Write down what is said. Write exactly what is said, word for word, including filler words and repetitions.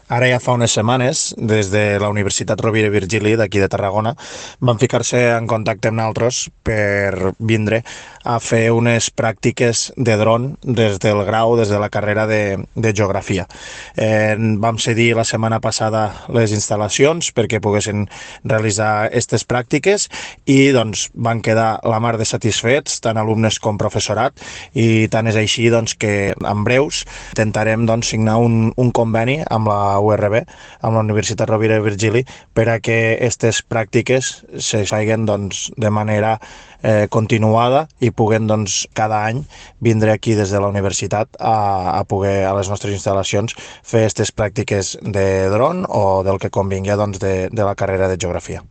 Ara ja fa unes setmanes, des de la Universitat Rovira i Virgili d'aquí de Tarragona, van ficar-se en contacte amb nosaltres per vindre a fer unes pràctiques de dron des del grau, des de la carrera de, de Geografia. Eh, vam cedir la setmana passada les instal·lacions perquè poguessin realitzar aquestes pràctiques i doncs, van quedar la mar de satisfets, tant alumnes com professorat, i tant és així doncs, que en breus intentarem doncs, signar un, un conveni amb la U R B, amb la Universitat Rovira i Virgili, per a que aquestes pràctiques se feien doncs, de manera eh, continuada i puguen doncs, cada any vindre aquí des de la universitat a, a poder a les nostres instal·lacions fer aquestes pràctiques de dron o del que convingui doncs, de, de la carrera de Geografia.